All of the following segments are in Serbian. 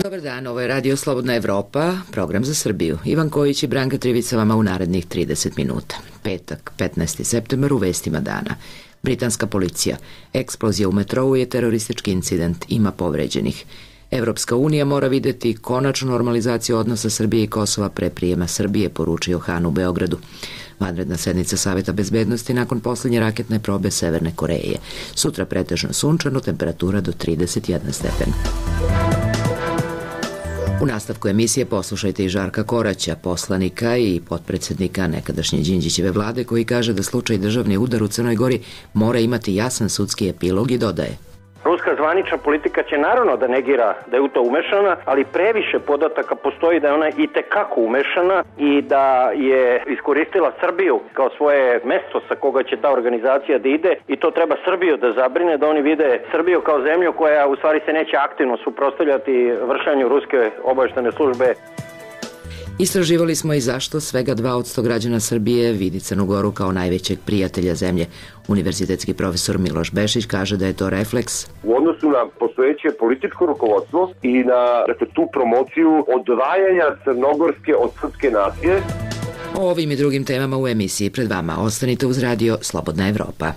Dobar dan, ovo je Radio Slobodna Evropa, program za Srbiju. Ivan Kojić i Branka Trivica vama u narednih 30 minuta. Petak, 15. septembar, u vestima dana. Britanska policija. Eksplozija u metrou je teroristički incident, ima povređenih. Evropska unija mora videti konačnu normalizaciju odnosa Srbije i Kosova pre prijema Srbije, poručio Han u Beogradu. Vanredna sednica Saveta bezbednosti nakon poslednje raketne probe Severne Koreje. Sutra pretežno sunčano, temperatura do 31 stepen. U nastavku emisije poslušajte i Žarka Koraća, poslanika i potpredsednika nekadašnje Đinđićeve vlade, koji kaže da slučaj državni udar u Crnoj Gori mora imati jasan sudski epilog i dodaje: Ruska zvanična politika će naravno da negira da je u to umešana, ali previše podataka postoji da je ona i tekako umešana i da je iskoristila Srbiju kao svoje mesto sa koga će ta organizacija da ide, i to treba Srbiju da zabrine, da oni vide Srbiju kao zemlju koja u stvari se neće aktivno suprotstavljati vršanju ruske obavještajne službe. Istraživali smo i zašto svega 2% građana Srbije vidi Crnu Goru kao najvećeg prijatelja zemlje. Univerzitetski profesor Miloš Bešić kaže da je to refleks u odnosu na postojeće političko rukovodstvo i na tu promociju odvajanja crnogorske od srpske nacije. O ovim i drugim temama u emisiji pred vama. Ostanite uz Radio Slobodna Evropa.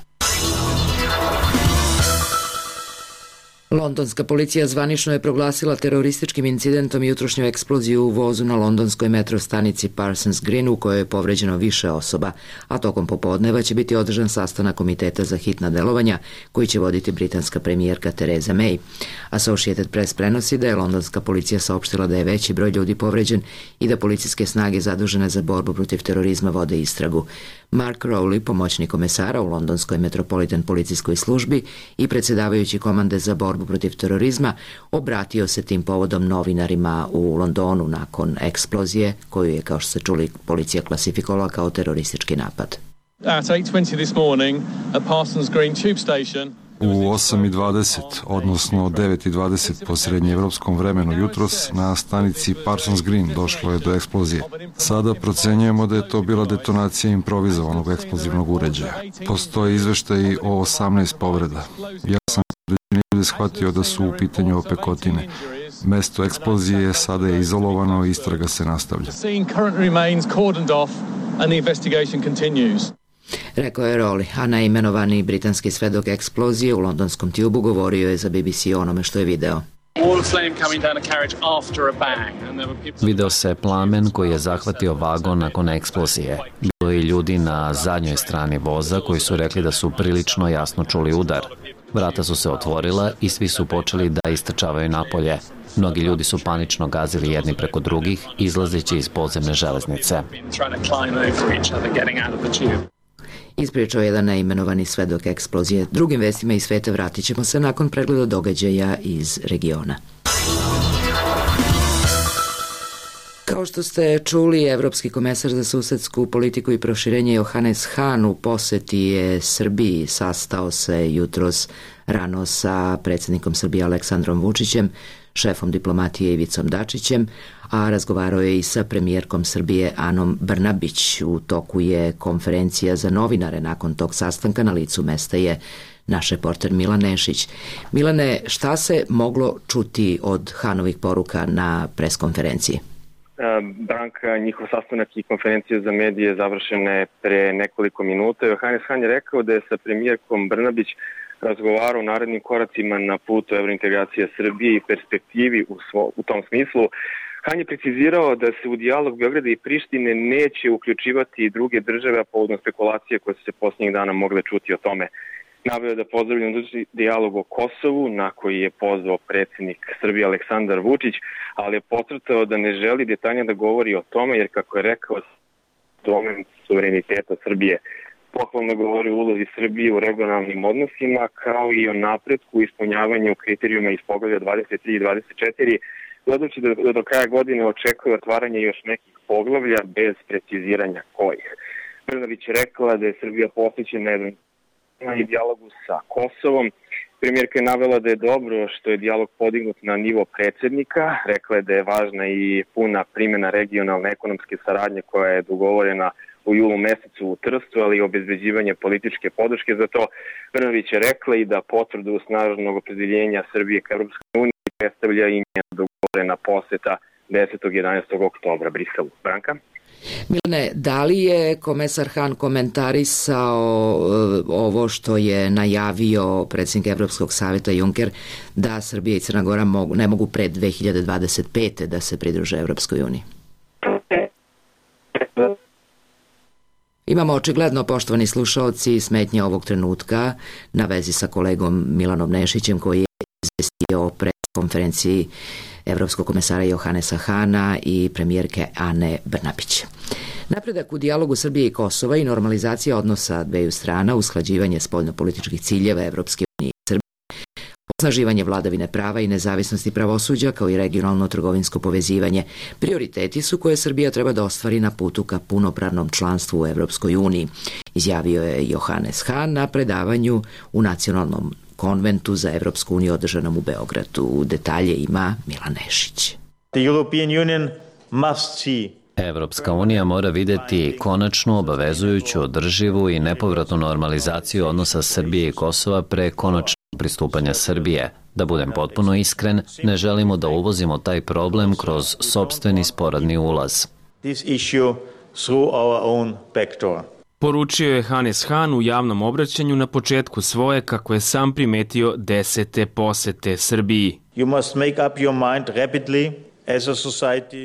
Londonska policija zvanično je proglasila terorističkim incidentom jutrošnju eksploziju u vozu na londonskoj metro stanici Parsons Green, u kojoj je povređeno više osoba, a tokom popodneva će biti održan sastanak Komiteta za hitna delovanja koji će voditi britanska premijerka Theresa May. Associated Press prenosi da je londonska policija saopštila da je veći broj ljudi povređen i da policijske snage zadužene za borbu protiv terorizma vode istragu. Mark Rowley, pomoćnik komesara u londonskoj Metropolitan policijskoj službi i predsjedavajući komande za borbu protiv terorizma, obratio se tim povodom novinarima u Londonu nakon eksplozije koju je, kao što ste čuli, policija klasifikovala kao teroristički napad. At 8:20 this morning at Parsons Green tube station, u 8:20, odnosno 9:20 po srednjeevropskom vremenu jutros, na stanici Parsons Green došlo je do eksplozije. Sada procenjujemo da je to bila detonacija improvizovanog eksplozivnog uređaja. Postoje izveštaji o 18 povreda. Ja sam ljudi shvatio da su u pitanju opekotine. Mesto eksplozije sada je izolovano i istraga se nastavlja. Rekao je Rowley, a neimenovani britanski svedok eksplozije u londonskom Tubu govorio je za BBC o onome što je video. Video se plamen koji je zahvatio vagon nakon eksplozije. Bilo je ljudi na zadnjoj strani voza koji su rekli da su prilično jasno čuli udar. Vrata su se otvorila i svi su počeli da istrčavaju napolje. Mnogi ljudi su panično gazili jedni preko drugih, izlazeći iz podzemne železnice. Ispričao jedan neimenovani svedok eksplozije. Drugim vestima iz sveta vratit ćemo se nakon pregleda događaja iz regiona. Kao što ste čuli, Evropski komesar za susedsku politiku i proširenje Johannes Hahn u poseti je Srbiji. Sastao se jutros rano sa predsjednikom Srbije Aleksandrom Vučićem, šefom diplomatije Ivicom Dačićem, a razgovarao je i sa premijerkom Srbije Anom Brnabić. U toku je konferencija za novinare. Nakon tog sastanka na licu mesta je naš reporter Milan Nešić. Milane, šta se moglo čuti od Hanovih poruka na preskonferenciji? Branka, njihov sastanak i konferencija za medije završena je pre nekoliko minuta. Johannes Hahn je rekao da je sa premijerkom Brnabić razgovarao o narednim koracima na putu evrointegracije Srbije i perspektivi u tom smislu. Hahn je precizirao da se u dijalog Beograda i Prištine neće uključivati i druge države, a povodom spekulacije koje su se posljednjih dana mogle čuti o tome. Naveo da pozdravljam dijalog o Kosovu, na koji je pozvao predsjednik Srbije Aleksandar Vučić, ali je podcrtao da ne želi detaljno da govori o tome, jer, kako je rekao, domen suvereniteta Srbije. Pohvalno govori o ulozi Srbije u regionalnim odnosima, kao i o napretku u ispunjavanju kriterijuma iz poglavlja 23 i 24, dodajući da do kraja godine očekuje otvaranje još nekih poglavlja bez preciziranja kojih. Brnabić je rekla da je Srbija posvećena i dijalogu sa Kosovom. Premijerka je navela da je dobro što je dijalog podignut na nivo predsjednika. Rekla je da je važna i puna primjena regionalne ekonomske saradnje koja je dogovorena u julu mesecu u Trstu, ali i obezbeđivanje političke podrške za to. Brnabić je rekla i da potvrdu snažnog opredeljenja Srbije ka Evropskoj uniji predstavlja i njena dogovorena poseta 10. i 11. oktobra Briselu. Branka? Milane, da li je komesar Han komentarisao ovo što je najavio predsjednik Evropskog savjeta Juncker da Srbija i Crna Gora ne mogu pred 2025. da se pridruže Evropskoj uniji? Imamo očigledno, poštovani slušaoci, smetnje ovog trenutka na vezi sa kolegom Milanom Nešićem koji je izvestio o preskonferenciji Evropskog komesara Johannesa Hana i premijerke Ane Brnabić. Napredak u dijalogu Srbije i Kosova i normalizacija odnosa dveju strana, usklađivanje spoljnopolitičkih ciljeva Evropske unije i Srbije, osnaživanje vladavine prava i nezavisnosti pravosuđa kao i regionalno trgovinsko povezivanje prioriteti su koje Srbija treba da ostvari na putu ka punopravnom članstvu u Evropskoj uniji, izjavio je Johannes Hahn na predavanju u Nacionalnom konventu za Evropsku uniju održanom u Beogradu. Detalje ima Milan Nešić. Evropska unija mora videti konačnu, obavezujuću, održivu i nepovratnu normalizaciju odnosa Srbije i Kosova pre konačnog pristupanja Srbije. Da budem potpuno iskren, ne želimo da uvozimo taj problem kroz sopstveni sporadni ulaz. Poručio je Hannes Hahn u javnom obraćanju na početku svoje, kako je sam primetio, 10. posete Srbiji.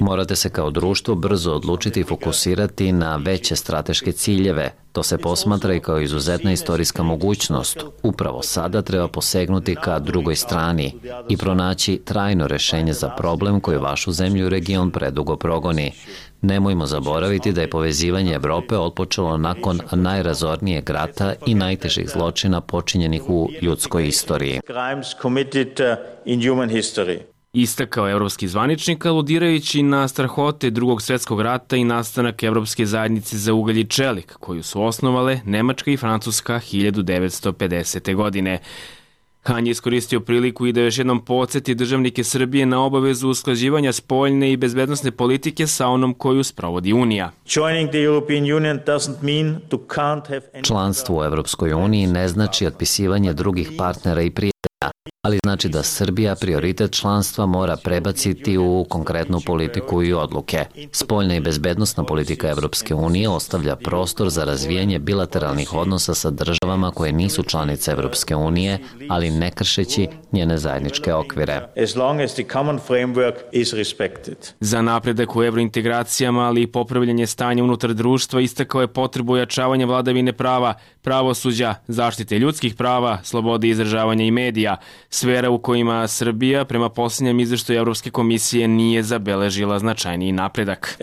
Morate se kao društvo brzo odlučiti i fokusirati na veće strateške ciljeve. To se posmatra i kao izuzetna istorijska mogućnost. Upravo sada treba posegnuti ka drugoj strani i pronaći trajno rešenje za problem koji vašu zemlju i region predugo progoni. Nemojmo zaboraviti da je povezivanje Evrope otpočelo nakon najrazornijeg rata i najtežih zločina počinjenih u ljudskoj istoriji. Istakao evropski zvaničnik, aludirajući na strahote Drugog svjetskog rata i nastanak Evropske zajednice za ugalj i čelik, koju su osnovale Nemačka i Francuska 1950. godine. Han je iskoristio priliku i da još jednom podsjeti državnike Srbije na obavezu usklađivanja spoljne i bezbednosne politike sa onom koju sprovodi Unija. Članstvo u Evropskoj uniji ne znači otpisivanje drugih partnera i prijatelja, ali znači da Srbija prioritet članstva mora prebaciti u konkretnu politiku i odluke. Spoljna i bezbednosna politika Evropske unije ostavlja prostor za razvijanje bilateralnih odnosa sa državama koje nisu članice Evropske unije, ali ne kršeći njene zajedničke okvire. Za napredak u evrointegracijama, ali i popravljanje stanja unutar društva, istakao je potrebu ojačavanja vladavine prava, pravosuđa, zaštite ljudskih prava, slobode izražavanja i medija, sfera u kojima Srbija prema posljednjem izveštaju Evropske komisije nije zabeležila značajniji napredak.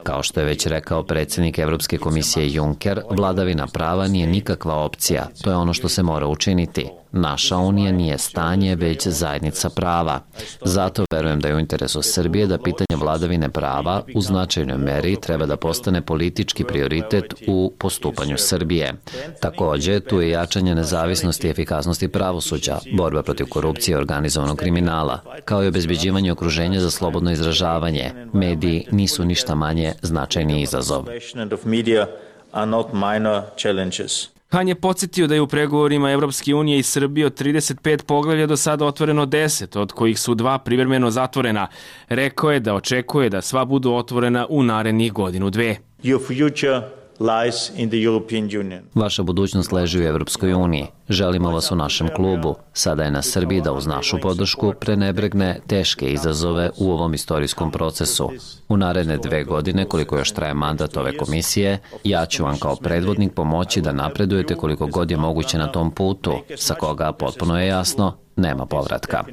Kao što je već rekao predsjednik Evropske komisije Juncker, vladavina prava nije nikakva opcija, to je ono što se mora učiniti. Naša unija nije stanje, već zajednica prava. Zato verujem da je u interesu Srbije da pitanje vladavine prava u značajnoj meri treba da postane politički prioritet u postupanju Srbije. Takođe, tu je jačanje nezavisnosti i efikasnosti pravosuđa, borba protiv korupcije i organizovanog kriminala, kao i obezbeđivanje okruženja za slobodno izražavanje. Mediji nisu ništa manje značajni izazov. Han je podsjetio da je u pregovorima Evropske unije i Srbije od 35 poglavlja do sada otvoreno 10, od kojih su 2 privremeno zatvorena. Rekao je da očekuje da sva budu otvorena u narednih godinu, dve. Vaša budućnost leži u Evropskoj uniji. Želimo vas u našem klubu. Sada je na Srbiji da uz našu podršku prenebregne teške izazove u ovom istorijskom procesu. U naredne 2 godine, koliko još traje mandat ove komisije, ja ću vam kao predvodnik pomoći da napredujete koliko god je moguće na tom putu, sa koga, potpuno je jasno, nema povratka.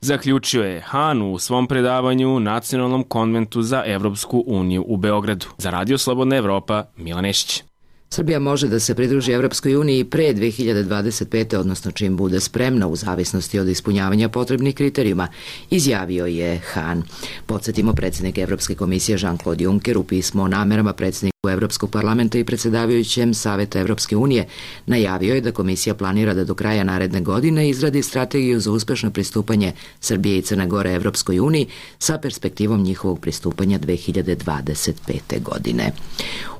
Zaključio je Han u svom predavanju u Nacionalnom konventu za Evropsku uniju u Beogradu. Za Radio Slobodna Evropa, Milan Nešić. Srbija može da se pridruži Evropskoj uniji pre 2025. odnosno čim bude spremna u zavisnosti od ispunjavanja potrebnih kriterijuma, izjavio je Han. Podsjetimo, predsjednik Evropske komisije Jean-Claude Juncker u pismu o namerama predsjedniku Evropskog parlamenta i predsjedavajućem Saveta Evropske unije najavio je da komisija planira da do kraja naredne godine izradi strategiju za uspešno pristupanje Srbije i Crne Gore Evropskoj uniji sa perspektivom njihovog pristupanja 2025. godine.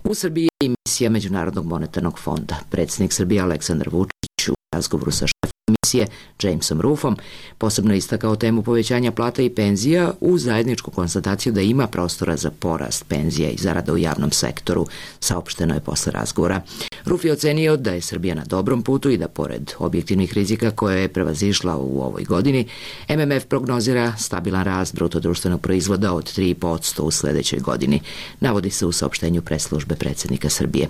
U Srbiji je i misija Međunarodnog monetarnog fonda. Predsjednik Srbije Aleksandar Vučić u razgovoru sa šefom komisije Jamesom Ruffom posebno istakao temu povećanja plata i penzija u zajedničku konstataciju da ima prostora za porast penzija i zarada u javnom sektoru, saopšteno je posle razgovora. Ruff je ocenio da je Srbija na dobrom putu i da pored objektivnih rizika koje je prevazišla u ovoj godini, MMF prognozira stabilan rast bruto-društvenog proizvoda od 3% u sledećoj godini, navodi se u saopštenju press-službe predsjednika Srbije.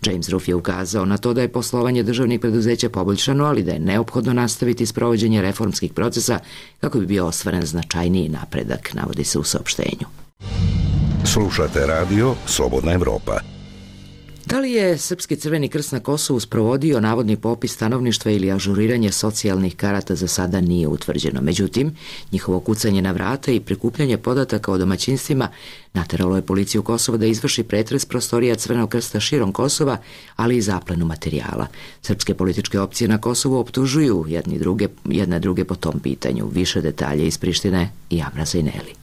James Ruff je ukazao na to da je poslovanje državnih preduzeća poboljšano, ali da je neophodno nastaviti sprovođenje reformskih procesa kako bi bio ostvaren značajniji napredak, navodi se u saopštenju. Slušate radio Slobodna Evropa. Da li je Srpski Crveni krst na Kosovu sprovodio navodni popis stanovništva ili ažuriranje socijalnih karata za sada nije utvrđeno. Međutim, njihovo kucanje na vrata i prikupljanje podataka o domaćinstvima nateralo je policiju Kosova da izvrši pretres prostorija Crvenog krsta širom Kosova, ali i zaplenu materijala. Srpske političke opcije na Kosovu optužuju jedne druge po tom pitanju. Više detalje iz Prištine i Amra Zajneli.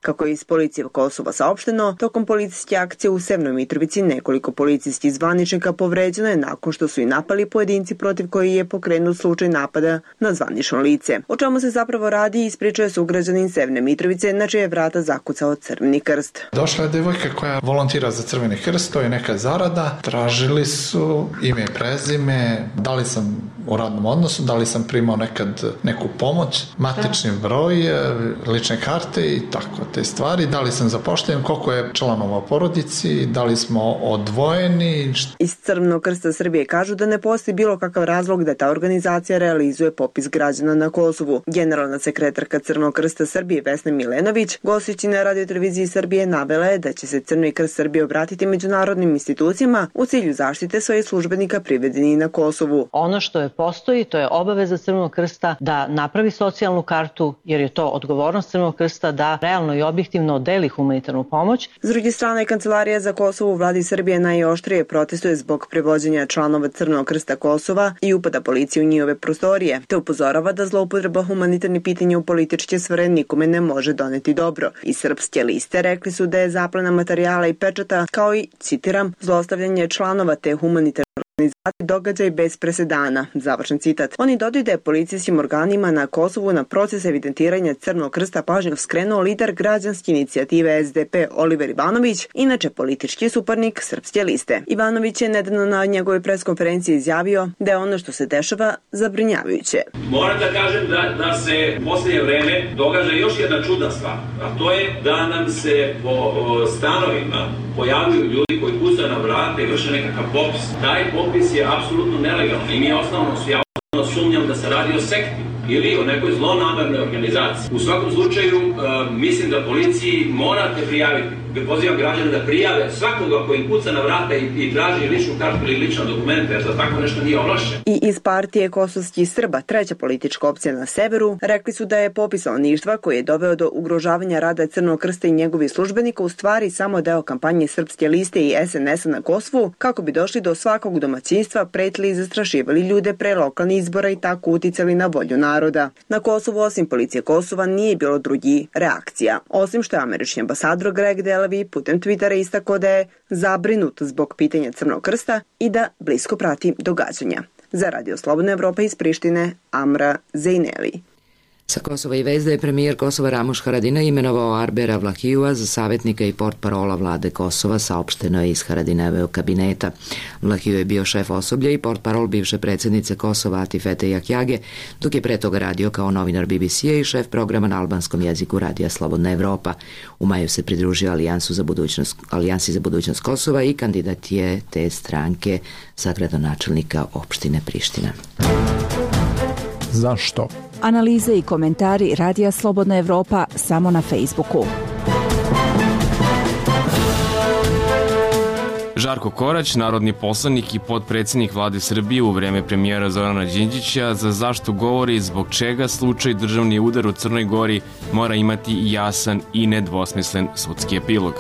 Kako je iz policije Kosova saopšteno, tokom policijske akcije u Severnoj Mitrovici nekoliko policijskih zvaničnika povređeno je nakon što su i napali pojedinci protiv koji je pokrenut slučaj napada na zvanično lice. O čemu se zapravo radi ispričao je sugrađanin Severne Mitrovice na čije vrata zakucao Crveni krst. Došla je devojka koja volontira za Crveni krst, to je neka zarada. Tražili su ime i prezime, da li sam u radnom odnosu, da li sam primao nekad neku pomoć, matični broj, lične karte i tako te stvari, da li sam zapošljen, koliko je članova u porodici, da li smo odvojeni. Iz Crvenog krsta Srbije kažu da ne postoji bilo kakav razlog da ta organizacija realizuje popis građana na Kosovu. Generalna sekretarka Crvenog krsta Srbije Vesna Milenović, gostujući na radioteleviziji Srbije, navela je da će se Crveni krst Srbije obratiti međunarodnim institucijama u cilju zaštite svojih službenika privedenih na Kosovu. Ono što postoji, to je obaveza Crvenog krsta da napravi socijalnu kartu, jer je to odgovornost Crvenog krsta da realno i objektivno deli humanitarnu pomoć. S druge strane, Kancelarija za Kosovo u vladi Srbije najoštrije protestuje zbog prevođenja članova Crvenog krsta Kosova i upada policije u njihove prostorije, te upozorava da zloupotreba humanitarnih pitanja u političke sfere nikome ne može doneti dobro. Iz Srpske liste rekli su da je zaplena materijala i pečata, kao i, citiram, zlostavljanje članova te humanitarne događaj bez presedana. Završen citat. Oni dodaju da je policijskim organima na Kosovu na proces evidentiranja Crvenog krsta pažnju skrenuo lider građanske inicijative SDP Oliver Ivanović, inače politički suparnik Srpske liste. Ivanović je nedavno na njegovoj preskonferenciji izjavio da je ono što se dešava zabrinjavajuće. Moram da kažem da se u posljednje vreme događa još jedna čudna stvar, a to je da nam se po stanovima pojavljuju ljudi koji kucaju na vrata i vrše nekakav popis. Taj popis je apsolutno nelegalan i mi osnovno sumnjam da se radi o sekti ili o nekoj zlonamernoj organizaciji. U svakom slučaju, mislim da policiji morate prijaviti. Pozivam građane da prijave svakoga koji kuca na vrata i traži ličnu kartu ili lična dokumenta, jer za tako nešto nije ovlašćen. I iz partije kosovskih Srba, treća politička opcija na severu, rekli su da je popis stanovništva koji je doveo do ugrožavanja rada Crvenog krsta i njegovih službenika u stvari samo deo kampanje Srpske liste i SNS-a na Kosovu, kako bi došli do svakog domaćinstva, pretili i zastrašivali ljude pre lokalnih izbora i tako uticali na volju naroda. Na Kosovu, osim policije Kosova, nije bilo drugih reakcija. Osim što je američki ambasador Greg Delavi putem Twittera istakao da je zabrinut zbog pitanja Crvenog krsta i da blisko prati događanja. Za Radio Slobodna Evropa iz Prištine, Amra Zajneli. Sa Kosova i veze je premijer Kosova Ramuš Haradinaj imenovao Arbera Vlahijua za savjetnika i portparola vlade Kosova, saopšteno je iz Haradinajevog kabineta. Vlahiju je bio šef osoblja i portparol bivše predsjednice Kosova Atifete Jahjage, dok je pre toga radio kao novinar BBC-a i šef programa na albanskom jeziku Radija Slobodna Evropa. U maju se pridružio Alijansi za budućnost Kosova i kandidat je te stranke za gradonačelnika opštine Priština. Zašto? Analize i komentari Radija Slobodna Evropa samo na Facebooku. Žarko Korać, narodni poslanik i potpredsjednik vlade Srbije u vreme premijera Zorana Đinđića, za zašto govori zbog čega slučaj državni udar u Crnoj Gori mora imati jasan i nedvosmislen sudski epilog.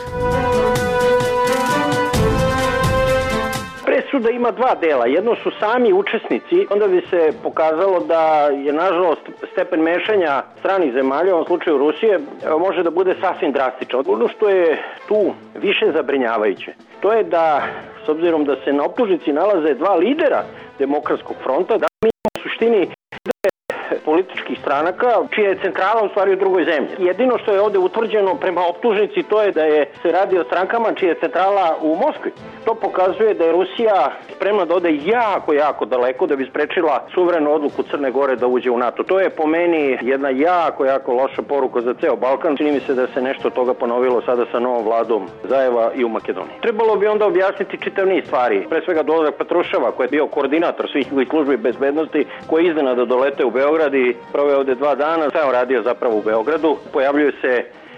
Da ima dva dela. Jedno su sami učesnici, onda bi se pokazalo da je nažalost stepen mešanja stranih zemalja, u ovom slučaju Rusije, može da bude sasvim drastičan. Ono što je tu više zabrinjavajuće, to je da s obzirom da se na optužnici nalaze dva lidera Demokratskog fronta, da mi imamo u suštini političkih stranaka, čija je centrala u stvari u drugoj zemlji. Jedino što je ovde utvrđeno prema optužnici to je da se radi o strankama čija je centrala u Moskvi. To pokazuje da je Rusija spremna da ode jako daleko da bi sprečila suverenu odluku Crne Gore da uđe u NATO. To je po meni jedna jako loša poruka za ceo Balkan. Čini mi se da se nešto od toga ponovilo sada sa novom vladom Zajeva i u Makedoniji. Trebalo bi onda objasniti čitav niz stvari. Pre svega dolazak Petruševa, koji je bio koordinator svih službi bezbednosti, koji je iznenada dolete u Beograd i proveo ovde 2 dana. Šta je on radio zapravo u Beogradu? Pojavljuje se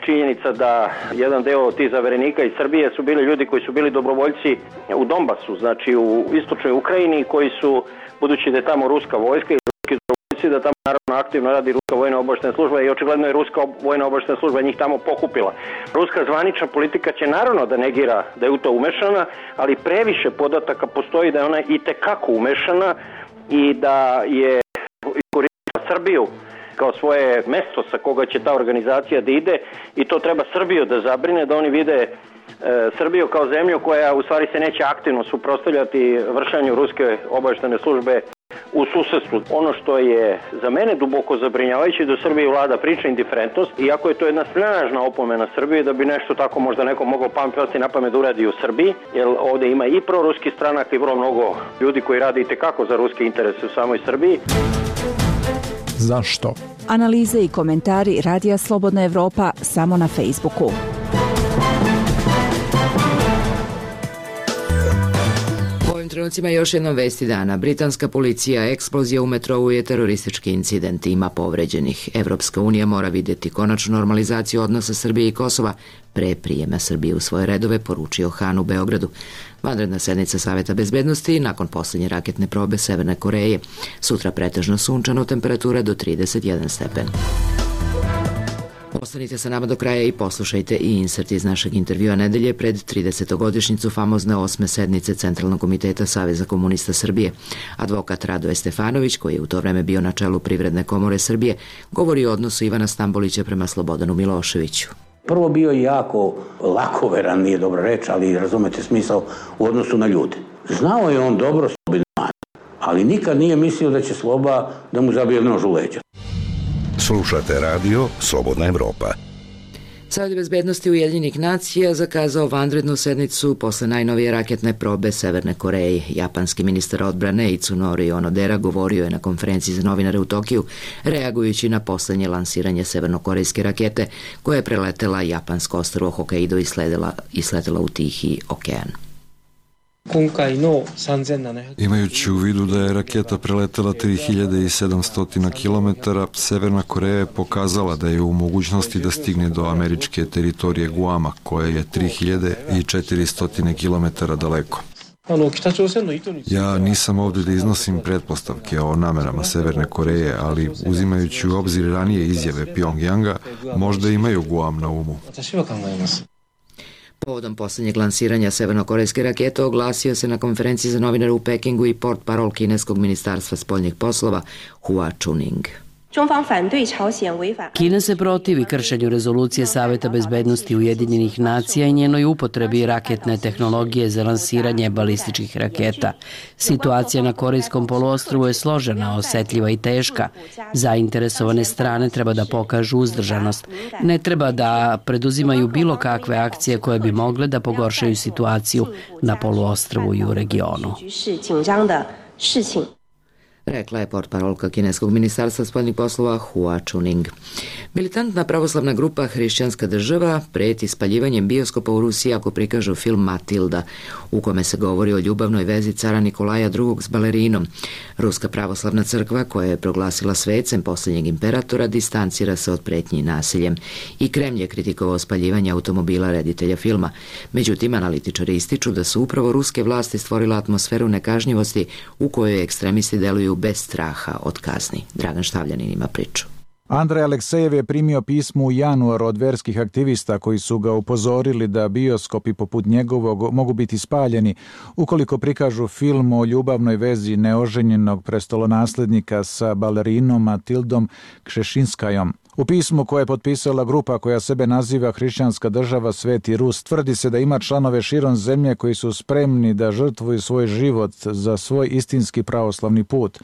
činjenica da jedan deo tih zaverenika iz Srbije su bili ljudi koji su bili dobrovoljci u Donbasu, znači u istočnoj Ukrajini, koji su, budući da je tamo ruska vojska i ruski dobrovoljci, da tamo naravno aktivno radi ruska vojna obaveštajna služba i očigledno je ruska vojna obaveštajna služba njih tamo pokupila. Ruska zvanična politika će naravno da negira da je u to umešana, ali previše podataka postoji da je ona i tekako umešana i da je iskoristila Srbiju kao svoje mesto sa koga će ta organizacija da ide i to treba Srbiju da zabrine, da oni vide Srbiju kao zemlju koja u stvari se neće aktivno suprotstavljati vršenju ruske obaveštajne službe u susedstvu. Ono što je za mene duboko zabrinjavajuće da u Srbiji vlada priča indiferentnost, iako je to jedna snažna opomena Srbije da bi nešto tako možda neko moglo pasti na pamet da uradi u Srbiji, jer ovde ima i proruski stranak i vrlo mnogo ljudi koji rade i tekako za ruske interese u samoj Srbiji. Zašto? Analize i komentari Radija Slobodna Evropa samo na Facebooku. U ovim trenucima još jednom vesti dana. Britanska policija, eksplozija u metrou je teroristički incident, ima povređenih. Evropska unija mora vidjeti konačnu normalizaciju odnosa Srbije i Kosova pre prijema Srbije u svoje redove, poručio Han u Beogradu. Vanredna sednica Saveta bezbednosti nakon posljednje raketne probe Severne Koreje. Sutra pretežno sunčano, temperatura do 31 stepen. Ostanite sa nama do kraja i poslušajte i insert iz našeg intervjua nedelje pred 30. famozne 8. sednice Centralnog komiteta Saveza komunista Srbije. Advokat Radoje Stefanović, koji je u to vreme bio na čelu Privredne komore Srbije, govori o odnosu Ivana Stambolića prema Slobodanu Miloševiću. Prvo bio jako lakoveran, nije dobra reč, ali razumete smisao u odnosu na ljude. Znao je on dobro Slobodanu, ali nikad nije mislio da će Sloba da mu zabije nož u leđa. Slušate radio Slobodna Evropa. Savet bezbednosti Ujedinjenih nacija zakazao vanrednu sednicu posle najnovije raketne probe Severne Koreje. Japanski ministar odbrane Itsunori Onodera govorio je na konferenciji za novinare u Tokiju, reagujući na poslednje lansiranje severnokorejske rakete koja je preletela japansko ostrvo Hokkaido i sletela u Tihi okean. Imajući u vidu da je raketa preletela 3700 km, Severna Koreja je pokazala da je u mogućnosti da stigne do američke teritorije Guama, koja je 3400 km daleko. Ja nisam ovdje da iznosim pretpostavke o namerama Severne Koreje, ali uzimajući u obzir ranije izjave Pyongyanga, možda imaju Guam na umu. Povodom posljednjeg lansiranja severnokorejske rakete oglasio se na konferenciji za novinare u Pekingu i portparol kineskog ministarstva spoljnih poslova Hua Chuning. Kina se protivi kršenju rezolucije Saveta bezbednosti Ujedinjenih nacija i njenoj upotrebi raketne tehnologije za lansiranje balističkih raketa. Situacija na Korejskom poluostrvu je složena, osetljiva i teška. Zainteresovane strane treba da pokažu uzdržanost. Ne treba da preduzimaju bilo kakve akcije koje bi mogle da pogoršaju situaciju na poluostrvu i u regionu. Rekla je portparolka kineskog ministarstva spoljnih poslova Hua Chuning. Militantna pravoslavna grupa Hrišćanska država preti spaljivanjem bioskopa u Rusiji ako prikažu film Matilda, u kome se govori o ljubavnoj vezi cara Nikolaja II. S balerinom. Ruska pravoslavna crkva, koja je proglasila svecem posljednjeg imperatora, distancira se od pretnji nasiljem. I Kremlj je kritikovao spaljivanje automobila reditelja filma. Međutim, analitičari ističu da su upravo ruske vlasti stvorile atmosferu nekažnjivosti u kojoj ekstremisti deluju bez straha od kazni. Dragan Štavljanin ima priču. Andrej Aleksejev je primio pismo u januaru od verskih aktivista koji su ga upozorili da bioskopi poput njegovog mogu biti spaljeni ukoliko prikažu film o ljubavnoj vezi neoženjenog prestolonaslednika sa balerinom Matildom Kšešinskajom. U pismu koje je potpisala grupa koja sebe naziva Hrišćanska država Sveti Rus, tvrdi se da ima članove širom zemlje koji su spremni da žrtvuju svoj život za svoj istinski pravoslavni put.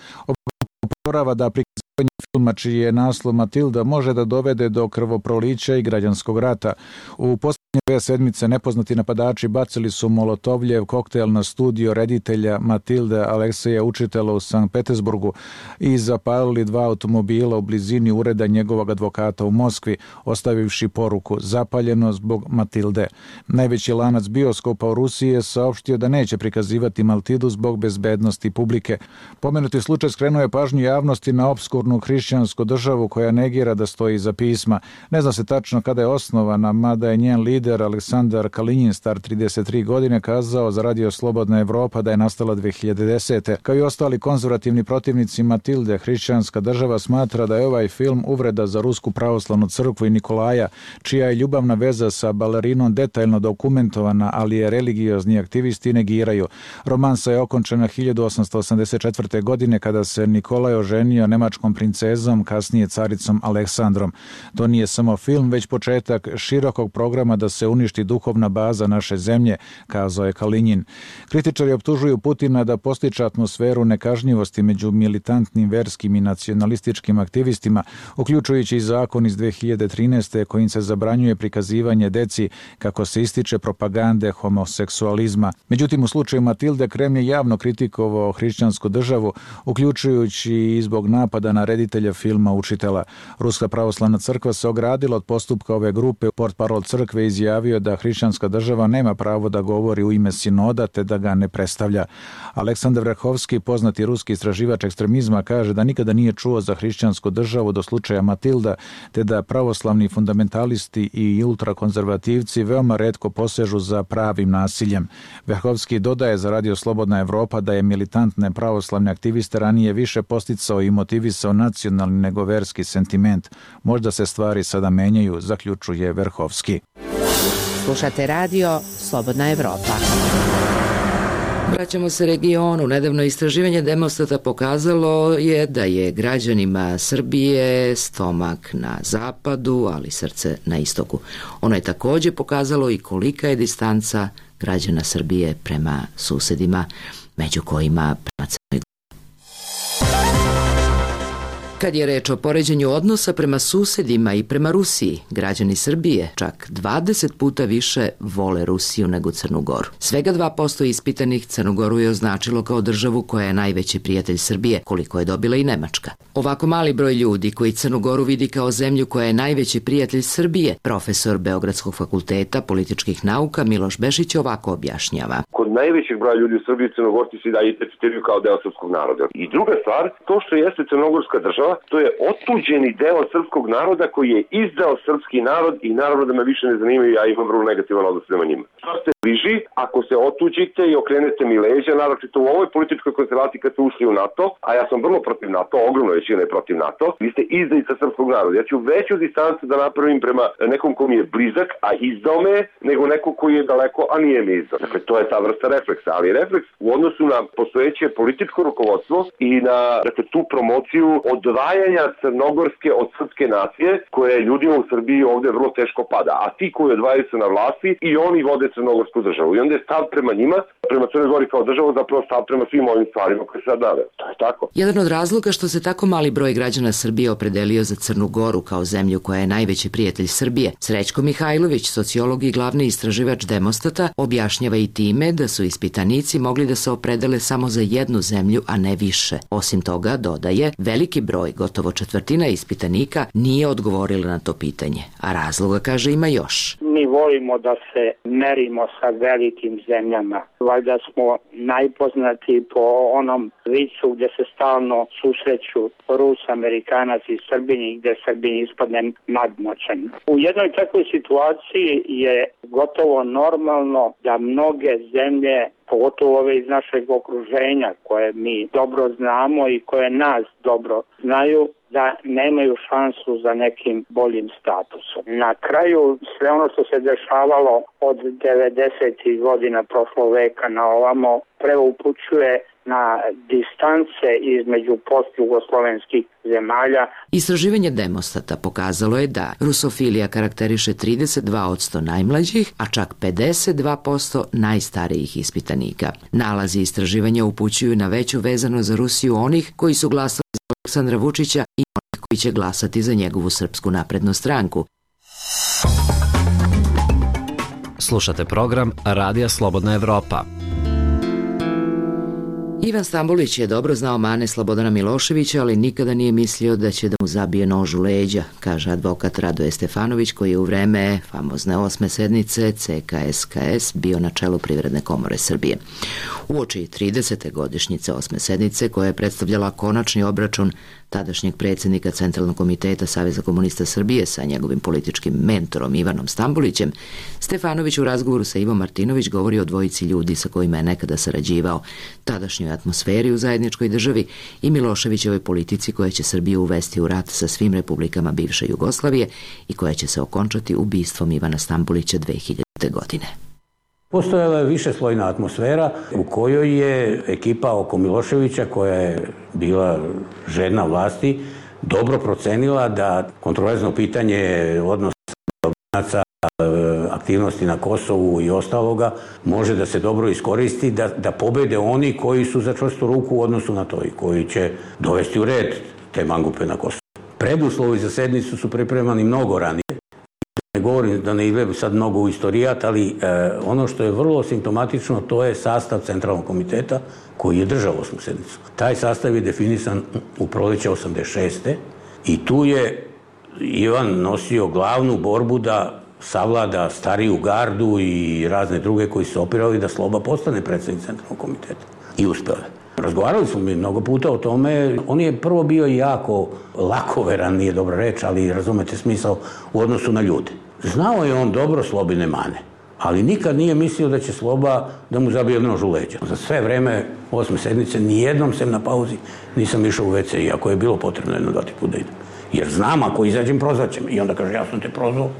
Upozorava da prikazivanje filma čiji je naslov Matilda može da dovede do krvoprolića i građanskog rata. U posljednje 2 sedmice nepoznati napadači bacili su molotovljev koktel na studio reditelja Matilde Alekseja Učitela u Sankt Petersburgu i zapalili 2 automobila u blizini ureda njegovog advokata u Moskvi, ostavivši poruku zapaljeno zbog Matilde. Najveći lanac bioskopa u Rusiji je saopštio da neće prikazivati Matildu zbog bezbednosti publike. Pomenuti slučaj skrenuo je pažnju javnosti na opskurnu hrišćansku državu koja negira da stoji iza pisma. Ne zna se tačno kada je osnovana, mada je njen lider Aleksandar Kalinjin, star 33 godine, kazao za Radio Slobodna Evropa da je nastala 2010. Kao i ostali konzervativni protivnici Matilde, hrišćanska država smatra da je ovaj film uvreda za Rusku pravoslavnu crkvu i Nikolaja, čija je ljubavna veza sa balerinom detaljno dokumentovana, ali je religiozni aktivisti negiraju. Romansa je okončena 1884. godine kada se Nikolaj oženio nemačkom princezom, kasnije caricom Aleksandrom. To nije samo film, već početak širokog programa da se uništi duhovna baza naše zemlje, kazao je Kalinjin. Kritičari optužuju Putina da postiče atmosferu nekažnjivosti među militantnim verskim i nacionalističkim aktivistima, uključujući i zakon iz 2013. kojim se zabranjuje prikazivanje deci kako se ističe propagande homoseksualizma. Međutim, u slučaju Matilde Kremlj je javno kritikovao hrišćansku državu, uključujući i zbog napada na reditelja filma Učitela. Ruska pravoslavna crkva se ogradila od postupka ove grupe. Portparol crkve izjavio da hrišćanska država nema pravo da govori u ime sinoda te da ga ne predstavlja. Aleksandar Vrhovski, poznati ruski istraživač ekstremizma, kaže da nikada nije čuo za hrišćansku državu do slučaja Matilda, te da pravoslavni fundamentalisti i ultrakonzervativci veoma retko posežu za pravim nasiljem. Vrhovski dodaje za Radio Slobodna Evropa da je militantne pravoslavne aktiviste ranije više posticao i motivisao nacionalni nego verski sentiment. Možda se stvari sada menjaju, zaključuje Vrhovski. Slušate radio Slobodna Evropa. Vraćamo se regionu. Nedavno istraživanje Demostata pokazalo je da je građanima Srbije stomak na zapadu, ali srce na istoku. Ono je takođe pokazalo i kolika je distanca građana Srbije prema susedima, među kojima prema Crnoj Gori. Kad je reč o poređenju odnosa prema susedima i prema Rusiji, građani Srbije čak 20 puta više vole Rusiju nego Crnu Goru. Svega 2% ispitanih Crnu Goru je označilo kao državu koja je najveći prijatelj Srbije, koliko je dobila i Nemačka. Ovako mali broj ljudi koji Crnu Goru vidi kao zemlju koja je najveći prijatelj Srbije, profesor Beogradskog fakulteta političkih nauka Miloš Bešić ovako objašnjava. Kod najvećeg broja ljudi u Srbiji Crnogorci se da identifikuju kao deo srpskog naroda. I druga stvar, to što jeste crnogorska država, to je otuđeni deo srpskog naroda koji je izdao srpski narod i naravno da me više ne zanimaju, ja imam vrlo negativan odnos prema njima. Što ste bliži, ako se otuđite i okrenete mi leđa, naročito u ovoj političkoj konstelaciji kad ste ušli u NATO, a ja sam vrlo protiv NATO, ogromno većina je protiv NATO, vi ste izdajica srpskog naroda. Ja ću veću distancu da napravim prema nekom ko mi je blizak, a izdao me, nego neko koji je daleko, a nije mi izdao. Dakle, to je ta vrsta refleksa, ali refleks u odnosu na postojeće političko rukovodstvo i na tu promociju odvajanja crnogorske od srpske nacije, koja je ljudima u Srbiji ovde vrlo teško pada. A ti koji odvajaju se na vlasti i oni vode crnogorsku državu. I onda je stav prema njima, prema Crnoj Gori kao državu, zapravo stav prema svim ovim stvarima koje se sad nave. To je tako. Jedan od razloga što se tako mali broj građana Srbije opredelio za Crnu Goru kao zemlju koja je najveći prijatelj Srbije, Srećko Mihajlović, sociolog i glavni istraživač Demostata, objašnjava i time da su ispitanici mogli da se opredele samo za jednu zemlju, a ne više. Osim toga, dodaje, veliki broj, gotovo četvrtina ispitanika nije odgovorila na to pitanje, a razloga, kaže, ima još. Mi volimo da se merimo sa velikim zemljama. Valjda smo najpoznati po onom vicu gde se stalno susreću Rus, Amerikanac i Srbini, gde Srbin ispadne nadmoćan. U jednoj takvoj situaciji je gotovo normalno da mnoge zemlje, pogotovo ove iz našeg okruženja koje mi dobro znamo i koje nas dobro znaju, da nemaju šansu za nekim boljim statusom. Na kraju sve ono što se dešavalo od 90. godina prošlog veka na ovamo preupućuje na distance između postjugoslovenskih zemalja. Istraživanje Demostata pokazalo je da rusofilija karakteriše 32% najmlađih, a čak 52% najstarijih ispitanika. Nalazi istraživanja upućuju na veću vezanost za Rusiju onih koji su glasali za Aleksandra Vučića i onih koji će glasati za njegovu Srpsku naprednu stranku. Slušate program Radija Slobodna Evropa. Ivan Stambolić je dobro znao mane Slobodana Miloševića, ali nikada nije mislio da će da mu zabije nož u leđa, kaže advokat Radoje Stefanović, koji je u vreme famozne 8. sednice CKSKS bio na čelu Privredne komore Srbije. Uoči 30. godišnjice 8. sednice, koja je predstavljala konačni obračun tadašnjeg predsjednika Centralnog komiteta Saveza komunista Srbije sa njegovim političkim mentorom Ivanom Stambolićem, Stefanović u razgovoru sa Ivom Martinović govori o dvojici ljudi sa kojima je nekada sarađivao, tadašnjoj atmosferi u zajedničkoj državi i Miloševićevoj politici koja će Srbiju uvesti u rat sa svim republikama bivše Jugoslavije i koja će se okončati ubistvom Ivana Stambolića 2000. godine. Postojala je višeslojna atmosfera u kojoj je ekipa oko Miloševića, koja je bila žedna vlasti, dobro procenila da kontroverzno pitanje odnosa Albanaca, aktivnosti na Kosovu i ostaloga može da se dobro iskoristi, da pobede oni koji su za čvrstu ruku u odnosu na to i koji će dovesti u red te mangupe na Kosovu. Preduslovi za sednicu su pripremani mnogo ranije. Ne govorim da ne idem sad mnogo u istorijat, ali ono što je vrlo simptomatično, to je sastav Centralnog komiteta koji je držao 8. sednicu. Taj sastav je definisan u proleće 86. i tu je Ivan nosio glavnu borbu da savlada stariju gardu i razne druge koji su opirali da Sloba postane predsjednik Centralnog komiteta. I uspele. Razgovarali smo mi mnogo puta o tome. On je prvo bio jako lakoveran, nije dobra reč, ali razumete smisao u odnosu na ljude. Znao je on dobro Slobine mane, ali nikad nije mislio da će Sloba da mu zabije nož u leđa. Za sve vreme 8. sednice nijednom sem na pauzi nisam išao u WC, iako je bilo potrebno 1-2 puta da idem. Jer znam, ako izađem, prozvaćem. I onda kaže, ja sam te prozvao,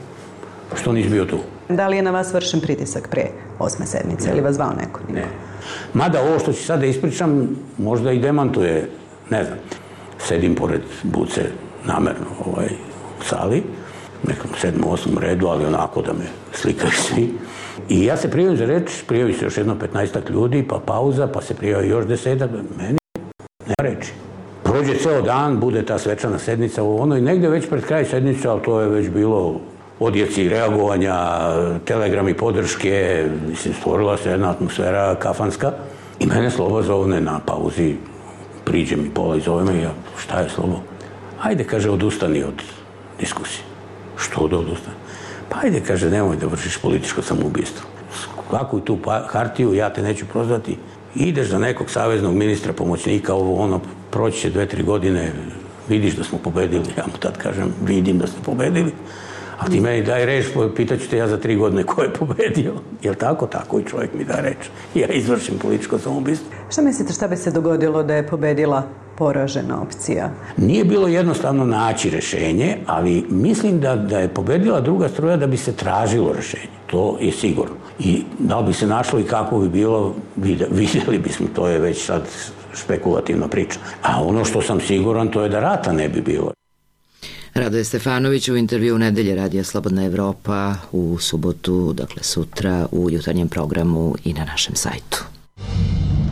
što nisi bio tu. Da li je na vas vršen pritisak pre 8. sednice ili vas zvao neko? Ne. Mada ovo što ću sad da ispričam možda i demantuje, ne znam. Sedim pored Buce namerno u sali, nekom 7. 8. redu, ali onako da me slikaju svi. I ja se prijavim za reč, prijavi se još jedno 15 ljudi, pa pauza, pa se prijavi još 10, meni nema reči. Prođe ceo dan, bude ta svečana sednica u ono i negde već pred kraj sednice, ali to je već bilo odjeci reagovanja, telegrami podrške, mislim, stvorila se jedna atmosfera kafanska i mene Sloba zovne na pauzi, priđe mi pola i zove me i ja, šta je Slobo? Ajde, kaže, odustani od diskusije. Što da odustani? Pa ajde, kaže, nemoj da vršiš političko samoubistvo. Skakuj tu hartiju, ja te neću prozvati. Ideš za nekog saveznog ministra, pomoćnika, proći će 2-3 godine, vidiš da smo pobedili. Ja mu tad kažem, vidim da ste pobedili. A ti meni daj reč, pitaću te ja za 3 godine ko je pobedio. Jel tako? Tako i čovjek mi da reč. Ja izvršim političko samoubistvo. Šta mislite, šta bi se dogodilo da je pobedila poražena opcija? Nije bilo jednostavno naći rešenje, ali mislim da je pobedila druga struja da bi se tražilo rešenje. To je sigurno. I da li bi se našlo i kako bi bilo, vidjeli bismo, to je već sad špekulativna priča. A ono što sam siguran, to je da rata ne bi bilo. Radoje Stefanović u intervju Nedelje Radija Slobodna Evropa u subotu, dakle sutra u jutarnjem programu i na našem sajtu.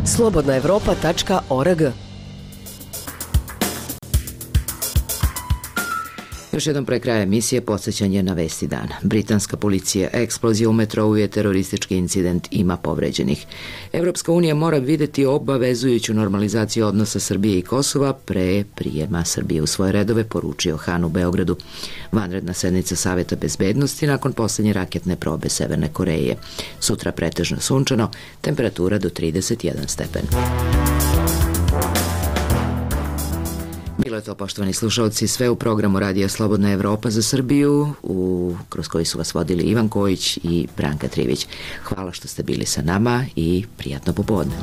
slobodnaevropa.org. Još jednom pre kraja emisije podsjećanje na vesti dana. Britanska policija, eksplozija u metrou je teroristički incident, ima povređenih. Evropska unija mora videti obavezujuću normalizaciju odnosa Srbije i Kosova pre prijema Srbije u svoje redove, poručio Han u Beogradu. Vanredna sednica Saveta bezbednosti nakon poslednje raketne probe Severne Koreje. Sutra pretežno sunčano, temperatura do 31 stepen. Bilo je to, poštovani slušalci, sve u programu Radija Slobodna Evropa za Srbiju, kroz koji su vas vodili Ivan Kojić i Branka Trivić. Hvala što ste bili sa nama i prijatno popodne.